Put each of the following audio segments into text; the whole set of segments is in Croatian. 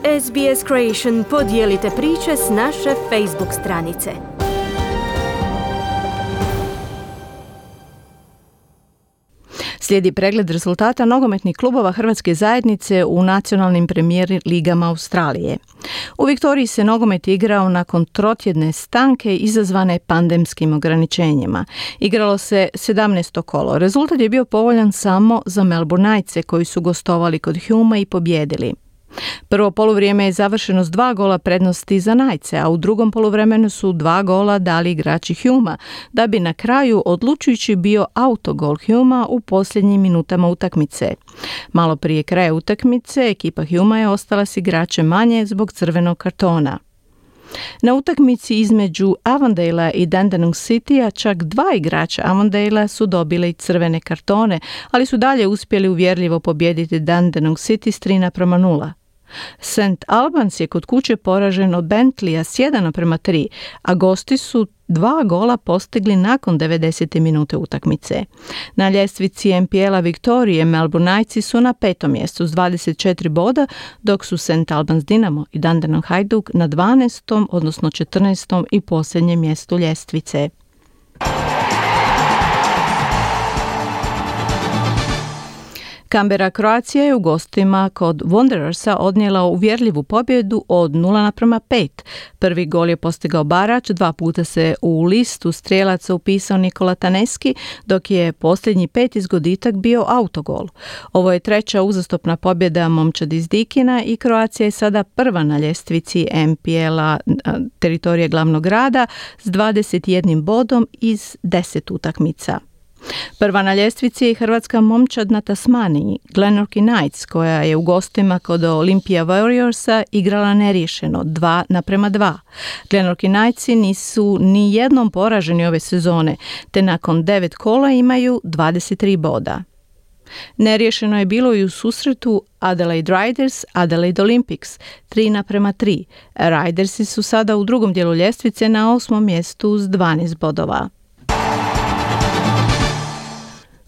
SBS Creation podijelite priče s naše Facebook stranice. Slijedi pregled rezultata nogometnih klubova Hrvatske zajednice u nacionalnim premijer ligama Australije. U Viktoriji se nogomet igrao nakon trotjedne stanke izazvane pandemskim ograničenjima. Igralo se 17. kolo. Rezultat je bio povoljan samo za Melbourne Knightse koji su gostovali kod Hume i pobijedili. Prvo poluvrijeme je završeno s 2 gola prednosti za Knightse, a u drugom poluvremenu su 2 gola dali igrači Humea, da bi na kraju odlučujući bio autogol Humea u posljednjim minutama utakmice. Malo prije kraja utakmice ekipa Humea je ostala s igračem manje zbog crvenog kartona. Na utakmici između Avondalea i Dandenong Citya čak 2 igrača Avondalea su dobili crvene kartone, ali su dalje uspjeli uvjerljivo pobijediti Dandenong City s 3:0. St. Albans je kod kuće poražen od Bentleya s 1:3, a gosti su 2 gola postigli nakon 90. minute utakmice. Na ljestvici NPL-a Viktorije Melbourne Knightsi su na 5. mjestu s 24 boda, dok su St. Albans Dinamo i Dandenong Hajduk na 12. odnosno 14. i posljednjem mjestu ljestvice. Canberra Croatia je u gostima kod Wanderersa odnijela uvjerljivu pobjedu od 0:5. Prvi gol je postigao Barač, 2 puta se u listu strijelaca upisao Nikola Taneski, dok je posljednji 5. zgoditak bio autogol. Ovo je 3. uzastopna pobjeda momčadi iz Dikina i Croatia je sada prva na ljestvici NPL-a teritorije glavnog grada s 21 bodom iz 10 utakmica. Prva na ljestvici je hrvatska momčad na Tasmaniji, Glenorchy Knights, koja je u gostima kod Olympia Warriorsa igrala neriješeno 2:2. Glenorchy Knightsi nisu ni jednom poraženi ove sezone, te nakon 9 kola imaju 23 boda. Neriješeno je bilo i u susretu Adelaide Riders, Adelaide Olympics 3:3. Ridersi su sada u drugom dijelu ljestvice na 8. mjestu s 12 bodova.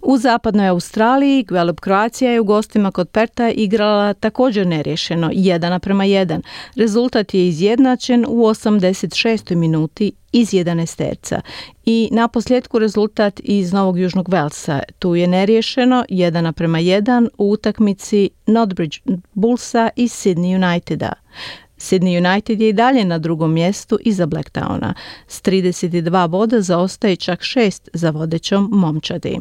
U zapadnoj Australiji Gwelup Croatia je u gostima kod Perta igrala također neriješeno 1:1. Rezultat je izjednačen u 86. minuti iz 11 i naposljetku rezultat iz Novog Južnog Velsa. Tu je neriješeno 1:1 u utakmici Notbridge Bullsa i Sydney Uniteda. Sydney United je i dalje na drugom mjestu iza Blacktowna. S 32 boda zaostaje čak 6 za vodećom momčadi.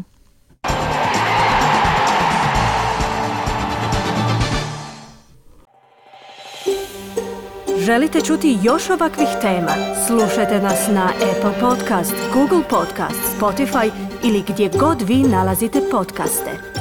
Želite čuti još ovakvih tema? Slušajte nas na Apple Podcast, Google Podcast, Spotify ili gdje god vi nalazite podcaste.